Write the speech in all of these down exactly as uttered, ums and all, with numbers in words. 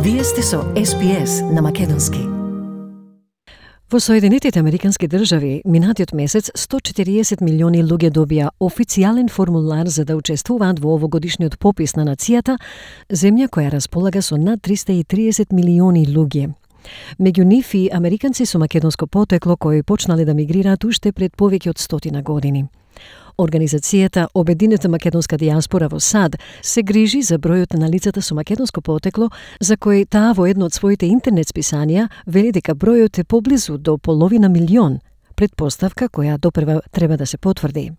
Вие сте со Ес Би Ес на македонски. Во Соединетите Американски држави, минатиот месец сто и четириесет милиони луѓе добија официјален формулар за да учествуваат во овогодишниот попис на нацијата, земја која располага со над триста и триесет милиони луѓе. Меѓу нив и американци со македонско потекло кои почнале да мигрираат уште пред повеќе од стотина години. Организацијата Обединета македонска дијаспора во САД се грижи за бројот на лицата со македонско потекло, за кои таа во едно од своите интернет списанија вели дека бројот е поблизу до половина милион, предпоставка која допрва треба да се потврди.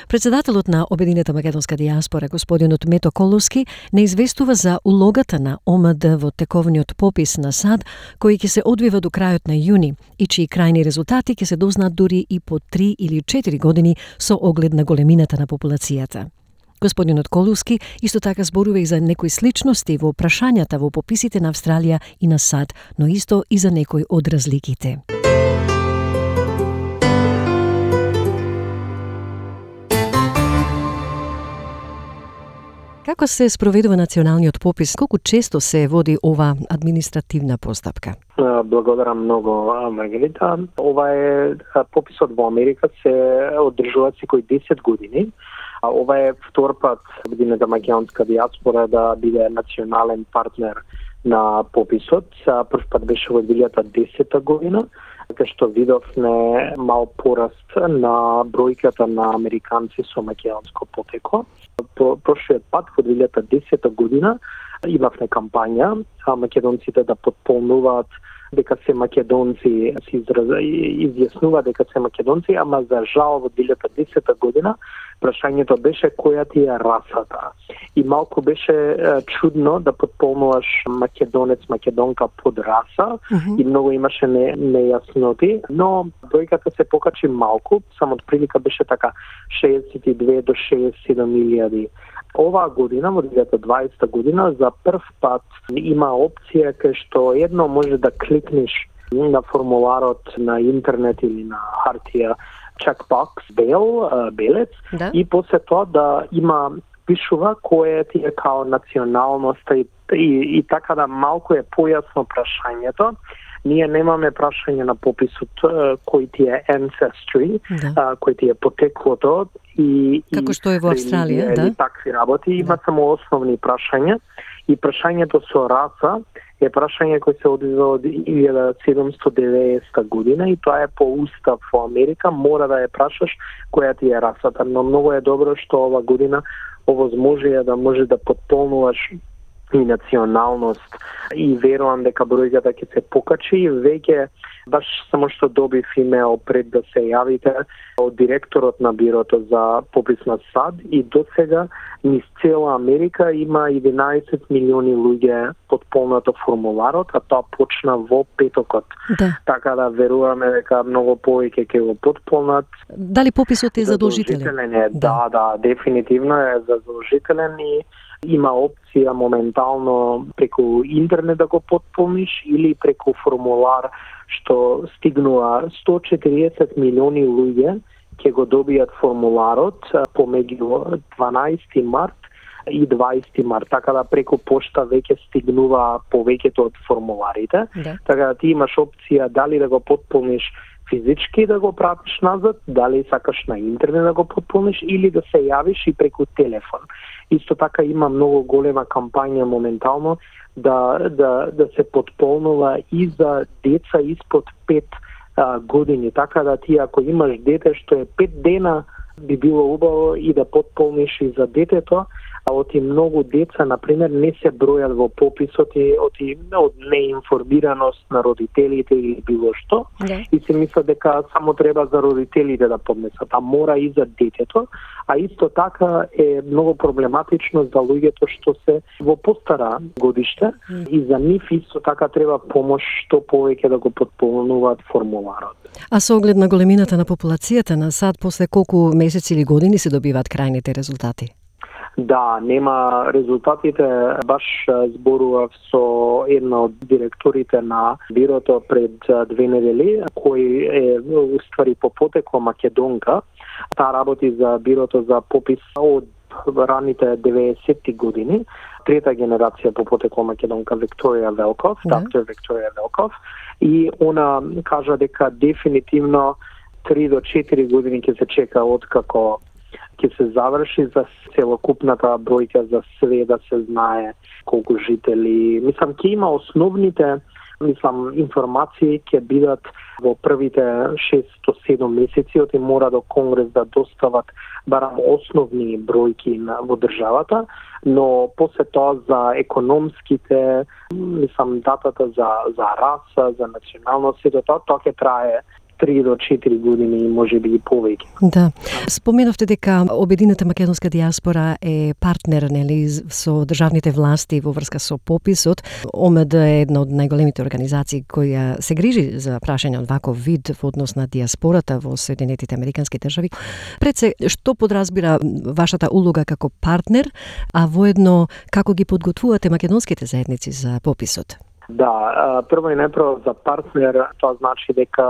Председателот на Обединета македонска дијаспора, господинот Мето Коловски, не известува за улогата на О М Д во тековниот попис на САД, кој ќе се одвива до крајот на јуни и чии крајни резултати ќе се дознаат дури и по три или четири години со оглед на големината на популацијата. Господинот Коловски исто така зборува и за некои сличности во прашањата во пописите на Австралија и на САД, но исто и за некои од разликите. Како се спроведува националниот попис? Колку често се води ова административна постапка? Благодарам многу, Маргарита. Ова е пописот во Америка се одржува секој десет години. Ова е втор пат Обединета македонска дијаспора да биде национален партнер на пописот. Прв пат беше во две илјади и десета година, кај што видовме мал пораст на бројката на американци со македонско потекло. Прошлиот пат во две илјади и десета година имавме кампања а македонците да потполнуваат дека се македонци, се изјаснува дека се македонци, ама за жал во две илјади и десета година прашањето беше која ти е расата. И малку беше е, чудно да потполнуваш македонец, македонка под раса, mm-hmm. и многу имаше не, нејасноти, но бројката се покачи малку, само од прилика беше така шеесет и две до шеесет и седум илјади. Оваа година, во две илјади и дваесета година, за прв пат има опција кај што едно може да кликнеш на формуларот на интернет или на хартија checkbox, бел, белец, да. И после тоа да има пишува која ти е као националноста и, и, и така да малку е појасно прашањето. Ние немаме прашање на пописот кој ти е ancestry, да. Кој ти е потеклото и како што е во Австралија, да. И такви работи, има да. Само основни прашања и прашањето со раса е прашање кој се одвива од илјада седумстотини и деветдесета година и тоа е по устав во Америка, мора да ја прашаш која ти е расата, но многу е добро што ова година овозможија да може да потполнуваш и националност и верувам дека бројката ќе се покачи. Веќе баш само што добив имейл пред да се јавите од директорот на бирото за попис на САД и до сега низ цела Америка има единаесет милиони луѓе потполнато формуларот, а тоа почна во петокот. Да. Така да веруваме дека многу повеќе ќе го потполнат. Дали пописот е задолжителен? Задолжителен е, да, да, да, дефинитивно е задолжителен и има опција моментално преку интернет да го потполниш или преку формулар што стигнува сто и четириесет милиони луѓе ќе го добијат формуларот помеѓу дванаесети март и дваесети март, така да преку пошта веќе стигнува повеќето од формуларите. Да. Така да ти имаш опција дали да го потполниш физички да го пратиш назад, дали сакаш на интернет да го потполниш или да се јавиш и преку телефон. Исто така има многу голема кампања моментално да да да се потполнува и за деца испод пет а, години, така да ти ако имаш дете што е пет дена би било убаво и да потполниш и за детето, а оти многу деца, например, не се бројат во пописот и оти од неинформираност на родителите или било што, yeah. И се мисля дека само треба за родителите да поднесат, а мора и за детето, а исто така е многу проблематично за луѓето што се во постара годиште, mm. и за нив исто така треба помош што повеќе да го потполнуваат формуларот. А со оглед на големината на популацијата на САД, после колку месеци или години се добиваат крајните резултати? Да, нема резултатите. Баш зборував со една од директорите на бирото пред две недели, кој е уствари по потекло македонка. Таа работи за бирото за попис од раните деветдесетти години, трета генерација по потекло македонка Викторија Велков, да. доктор Викторија Велков, и она кажа дека дефинитивно три до четири години ќе се чека откако ќе се заврши за целокупната бројка, за све да се знае колку жители. Мислам, ќе има основните мислам, информации ќе бидат во првите шест до седум месеци, оти мора до Конгрес да достават барам основни бројки на, во државата, но после тоа за економските, мислам, датата за, за раса, за националност, и тоа, тоа ќе трае три до четири години и можеби и повеќе. Да. Споменавте дека Обединета македонска дијаспора е партнер, нели, со државните власти во врска со пописот. ОМД е една од најголемите организации која се грижи за прашање од ваков вид во однос на дијаспората во Соединетите американски држави. Пред се, што подразбира вашата улога како партнер, а воедно како ги подготвувате македонските заедници за пописот? Да, прво и најпрво за партнер, тоа значи дека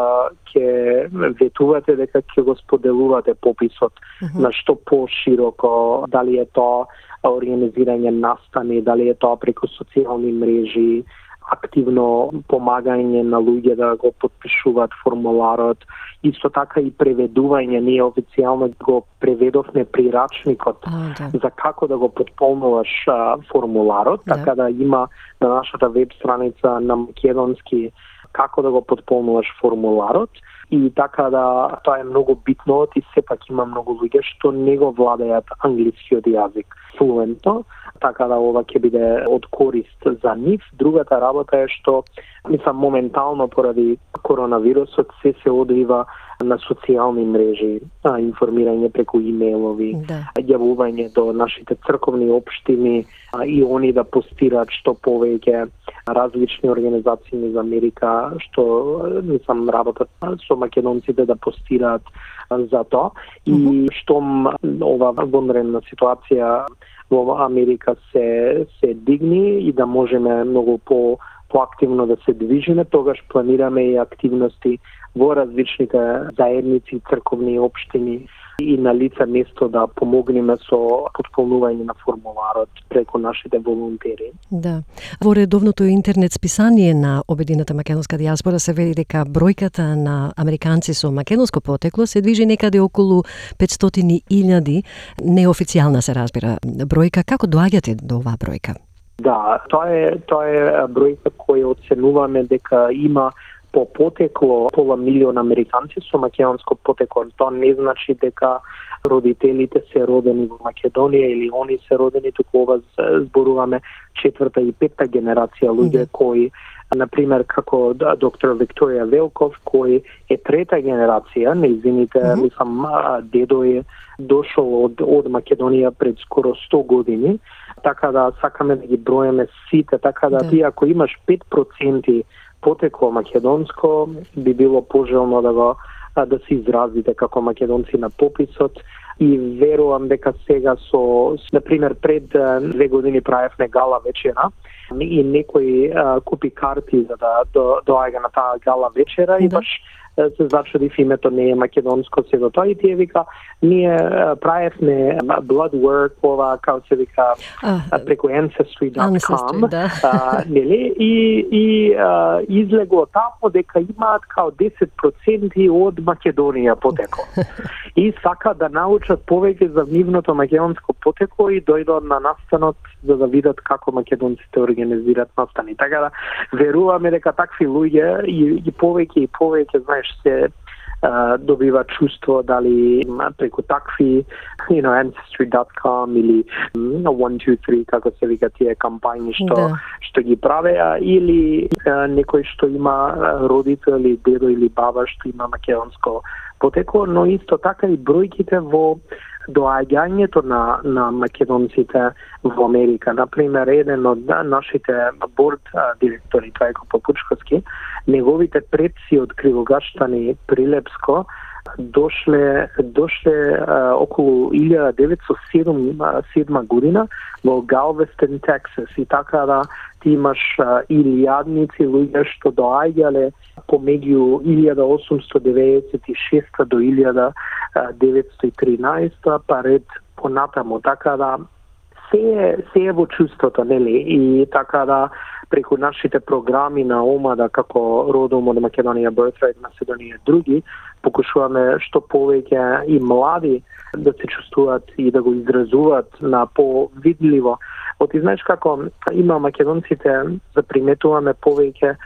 ќе ветувате, дека ќе го споделувате пописот uh-huh. на што пошироко, дали е тоа организирање настани, дали е тоа преку социјални мрежи, активно помагање на луѓе да го потпишуваат формуларот, исто така и преведување. Ние официјално го преведовме прирачникот а, да. за како да го потполнуваш а, формуларот, да. Така да има на нашата веб страница на македонски како да го потполнуваш формуларот. И така да тоа е многу битно, и сепак има многу луѓе што не го владеат англискиот јазик флуентно, така да ова ќе биде од корист за нив. Другата работа е што, мислам, моментално поради коронавирусот се се одвива на социјални мрежи, а, информирање преку имејлови, да. Јавување до нашите црковни општини а, и они да постираат што повеќе, различни организации низ Америка што мислам работат со македонците да постираат за тоа. И mm-hmm. штом ова вонредна ситуација во Америка се се дигни и да можеме многу по поактивно да се движиме, тогаш планираме и активности во различните заедници, црковни општини и на лице место да помогнеме со потполнување на формуларот преку нашите волонтери. Да. Во редовното интернет списание на Обединета македонска дијаспора се вели дека бројката на американци со македонско потекло се движи некаде околу петстотини илјади, неофицијална се разбира бројка. Како доаѓате до оваа бројка? Да, тоа е тоа е бројка која оценуваме дека има по потекло пола милион американци со македонско потекло. Тоа не значи дека родителите се родени во Македонија или они се родени, туку ова зборуваме четврта и петта генерација луѓе mm-hmm. кои, например, како доктор Викторија Велков, кој е трета генерација, нејзините, mm-hmm. мислам, дедо е дошол од, од Македонија пред скоро сто години, така да сакаме да ги броеме сите, така да, да. Ти ако имаш пет проценти потекло македонско, би било пожелно да го да се изразите како македонци на пописот. И верувам дека сега со, например, пред две години правевме гала вечера и некој а, купи карти за да до, доаѓа на таа гала вечера, да. И баш се зачудив, името не е македонско, се до тоа и тие вика, ние правевме blood work, ова, како се вика, uh, преку ancestry dot com, да. uh, нели, и, и uh, излегло тамо дека имаат као десет проценти од Македонија потекло. И сака да научат повеќе за нивното македонско потекло и дојдат на настанот за да видат како македонците организираат настани. Така да веруваме дека такви луѓе и, и повеќе и повеќе, знаеш, се uh, добива чувство дали преку такви, you know, ancestry dot com или one two three, како се вика тие кампањи што да. Што ги правеа, или uh, некој што има родител или дедо или баба што има македонско потекло, но исто така и бројките во доаѓањето на, на македонците во Америка. Например, еден од нашите борд директори, Трајко Папучковски, неговите предци од Кривогаштани Прилепско дошле дошле а, околу илјада деветстотини и седма година во Галвестон, Тексас, и така да ти имаш а, илјадници луѓе што доаѓале помеѓу илјада осумстотини деветдесет и шеста до илјада деветстотини и тринаесета, па ред понатаму, така да се се е во чувството, нели, и така да преку нашите програми на ОМАДа како Родом од Македонија, Birthright Macedоnia и други, покушуваме што повеќе и млади да се чувствуваат и да го изразуваат на повидливо. Оти знаеш како има македонците, заприметуваме повеќе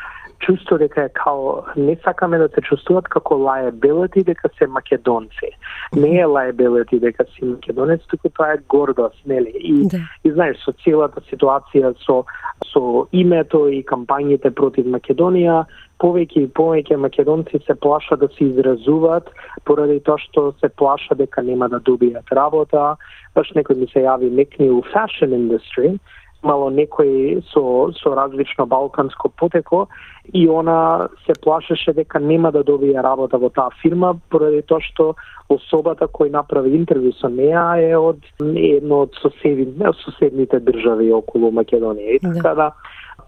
чувство дека е као не сакаме да се чувствуваат како liability дека се македонци. Не е liability дека си македонец, туку тоа е гордост, нели? И, да. И знаеш, со целата ситуација со со името и кампањите против Македонија, повеќе и повеќе македонци се плашат да се изразуваат поради тоа што се плашат дека нема да добијат работа. Баш некој ми се јави некни у fashion industry, мало некој со со различно балканско потекло и она се плашеше дека нема да добие работа во таа фирма поради тоа што особата кој направи интервју со неа е од едно од соседните, соседните држави околу Македонија. И така да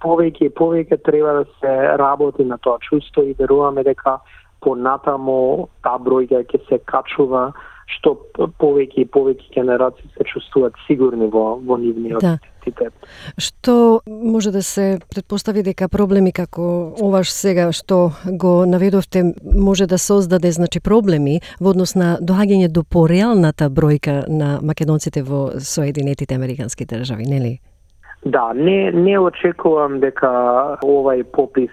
повеќе и повеќе треба да се работи на тоа чувство и веруваме дека понатаму таа бројка ќе се качува, што повеќе и повеќе генерации се чувствуваат сигурни во во нивниот да. идентитет. Што може да се претпостави дека проблеми како оваш сега што го наведовте може да создаде значи проблеми во однос на доаѓање до пореалната бројка на македонците во Соединетите Американски држави, нели? Да, не не очекувам дека овај попис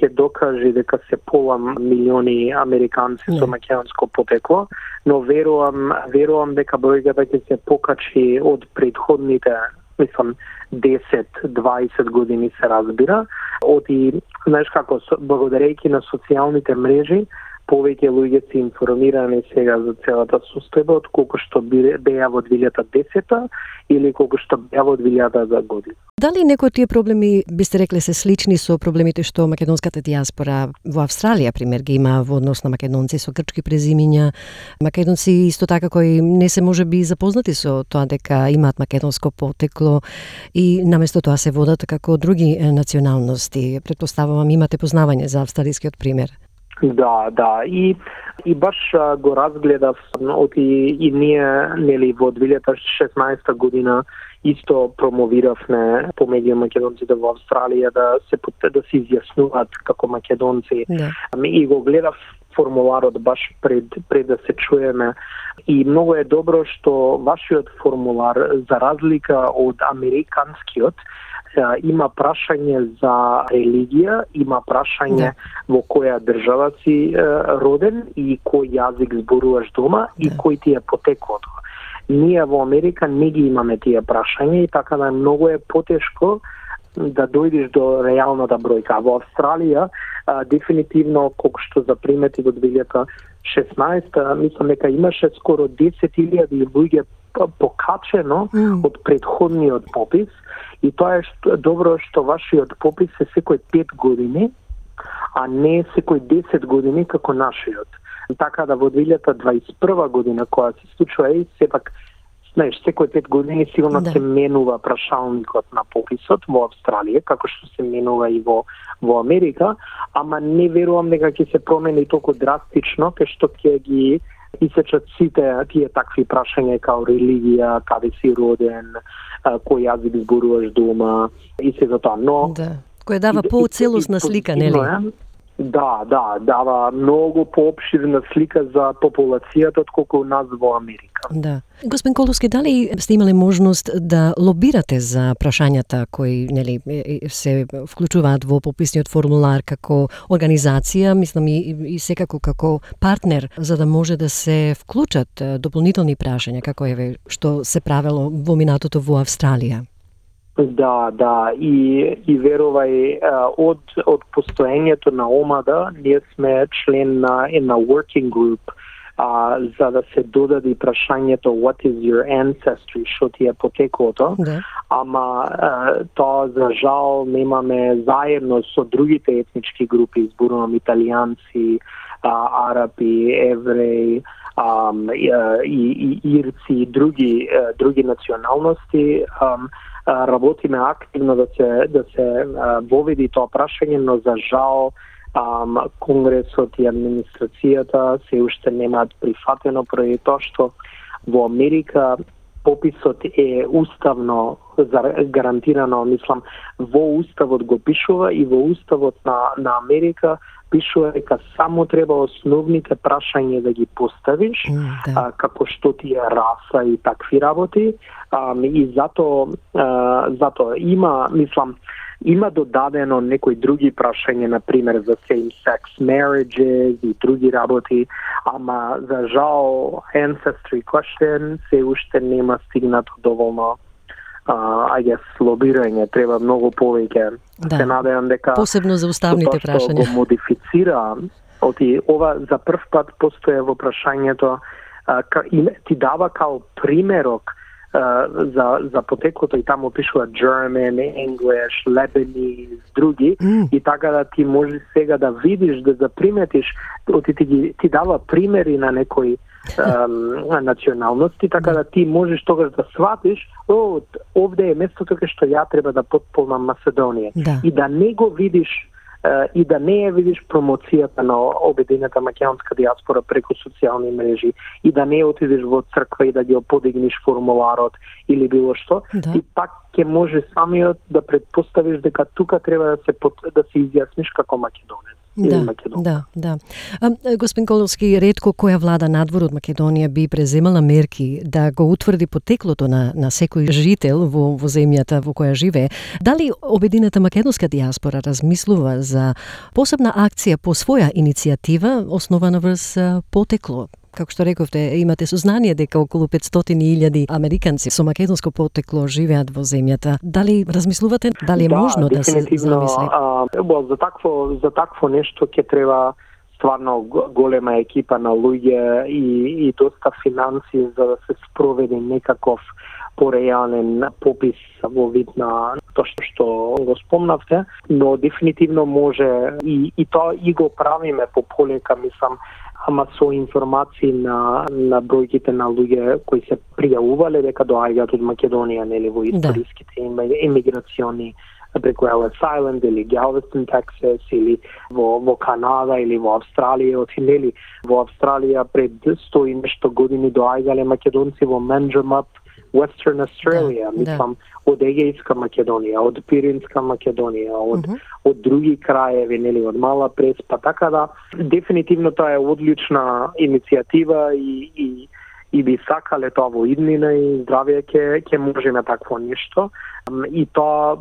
ќе докаже дека се пола милиони американци со македонско потекло, но верувам верувам дека бројката ќе се покачи од претходните, мислам, десет дваесет години се разбира. Оти, знаеш како, благодарејќи на социјалните мрежи, повеќе луѓе се информирани сега за целата состојба од колку што беа во две илјади и десета или колку што беа во две илјадата година. Дали некои од тие проблеми бисте рекле се слични со проблемите што македонската дијаспора во Австралија пример ги има во однос на македонци со грчки презимиња, македонци исто така кои не се можеби запознати со тоа дека имаат македонско потекло и наместо тоа се водат како други националности. Претпоставувам имате познавање за австралискиот пример. Да, да, и и баш а, го разгледав оти и ние нели во две илјади и шеснаесета година исто промовиравме помеѓу македонците во Австралија да се да се изјаснуваат како македонци. Да. И го гледав формуларот баш пред пред да се чуеме и многу е добро што вашиот формулар за разлика од американскиот има прашање за религија, има прашање да. Во која држава си е, роден и кој јазик зборуваш дома да. И кој ти е потеклото. Ние во Америка не ги имаме тие прашања и така да многу е потешко да дојдеш до реалната бројка. Во Австралија а, дефинитивно колку што запримети во две илјади и шеснаесета, мислам дека имаше скоро десет илјади луѓе покачено mm. од претходниот попис и тоа е што, добро што вашиот попис е секој пет години, а не секој десет години како нашиот. Така да во две илјади дваесет и прва година која се случува и сепак знаеш, секој пет години сигурно да. Се менува прашалникот на пописот во Австралија, како што се менува и во во Америка, ама не верувам дека ќе се промени толку драстично, кај што ќе ги исечат сите тие такви прашања као религија, каде си роден, кој јазик зборуваш дома и се за тоа. Но да. Кој дава поцелосна слика, нели? Да, да, дава многу поопширна слика за популацијата отколку у нас во Америка. Да. Господин Коловски, дали сте имале можност да лобирате за прашањата кои нели се вклучуваат во пописниот формулар како организација, мислам и, и секако како партнер, за да може да се вклучат дополнителни прашања, како еве што се правело во минатото во Австралија? Да, да, и, и верувај, од, од постоењето на ОМАДа, ние сме член на една working group, а, за да се додаде прашањето what is your ancestry, што ти е потеклото, да. Ама а, тоа за жал немаме заедно со другите етнички групи, зборувам италијанци, а, арапи, евреи, а, и, и, и ирци и други други националности. А, работиме активно да се да се воведи тоа прашање, но за жал Um, Конгресот и администрацијата се уште немаат прифатено поради тоа што во Америка пописот е уставно гарантирано, мислам, во уставот го пишува и во уставот на, на Америка пишува дека само треба основните прашања да ги поставиш, mm, да. а, како што ти е раса и такви работи, а, и зато, а, зато има, мислам, има додадено некои други прашања, например за same-sex marriages и други работи, ама за жал ancestry question се уште нема стигнато доволно, uh, I guess, лобирање, треба многу повеќе. Да. Се надевам дека посебно за уставните тоа прашања. Го модифицира, оти ова за прв пат постоја во прашањето, uh, ти дава као примерок Uh, за, за потеклото и таму пишува German, English, Lebanese, други, mm. и така да ти може сега да видиш, да заприметиш, ти, ти, ти дава примери на некои um, националности, така да ти можеш тогаш да сватиш, о, овде е местото кај што ја треба да потполнам Македонија. Да. И да не го видиш Uh, и да не ја видиш промоцијата на обединета македонска дијаспора преку социјални мрежи, и да не отидеш во црква и да ги подигнеш формуларот или било што, да. И пак ќе може самиот да предпоставиш дека тука треба да се да се изјасниш како македонец. Да, да, да. А, господин Коловски, ретко која влада надвор од Македонија би преземала мерки да го утврди потеклото на, на секој жител во, во земјата во која живее. Дали обединета македонска дијаспора размислува за посебна акција по своја иницијатива основана врз потекло? Како што рековте, имате сознание дека околу петстотини илјади американци со македонско потекло живеат во земјата. Дали размислувате, дали е да, можно да се замисли? А, за такво за такво нешто ќе треба стварно голема екипа на луѓе и и доста финанси за да се спроведе некаков пореален попис во вид на тоа што го спомнавте, но дефинитивно може и и тоа и го правиме по полека, мислам, ама со информации на на бројките на луѓе кои се пријавувале дека доаѓаат од Македонија, нели, во историските да. емиграциони преку Ellis Island или Galveston, Texas, или во, во Канада или во Австралија, нели, во Австралија пред сто и нешто години доаѓале македонци во Manjimup, Western Australia, да, мислам, да. Од Егејска Македонија, од Пиринска Македонија, од, uh-huh. од други краеви, нели, од Мала Преспа, така да дефинитивно тоа е одлична иницијатива и, и, и би сакале тоа во иднина и здравје ќе ќе можеме такво нешто. И тоа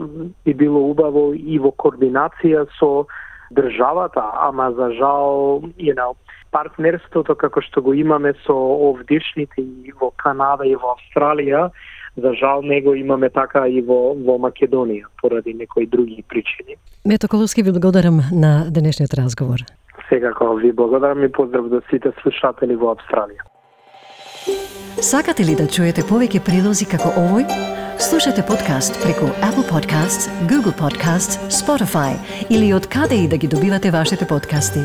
би било убаво и во координација со државата, ама за жал, you know, партнерството како што го имаме со овдишните и во Канада и во Австралија, за жал не го имаме така и во, во Македонија, поради некои други причини. Мето Коловски, ви благодарам на денешниот разговор. Секако, ви благодарам и поздрав до сите слушатели во Австралија. Сакате ли да чуете повеќе прилози како овој? Слушате подкаст преку Apple Podcasts, Google Podcasts, Spotify или од каде и да ги добивате вашите подкасти.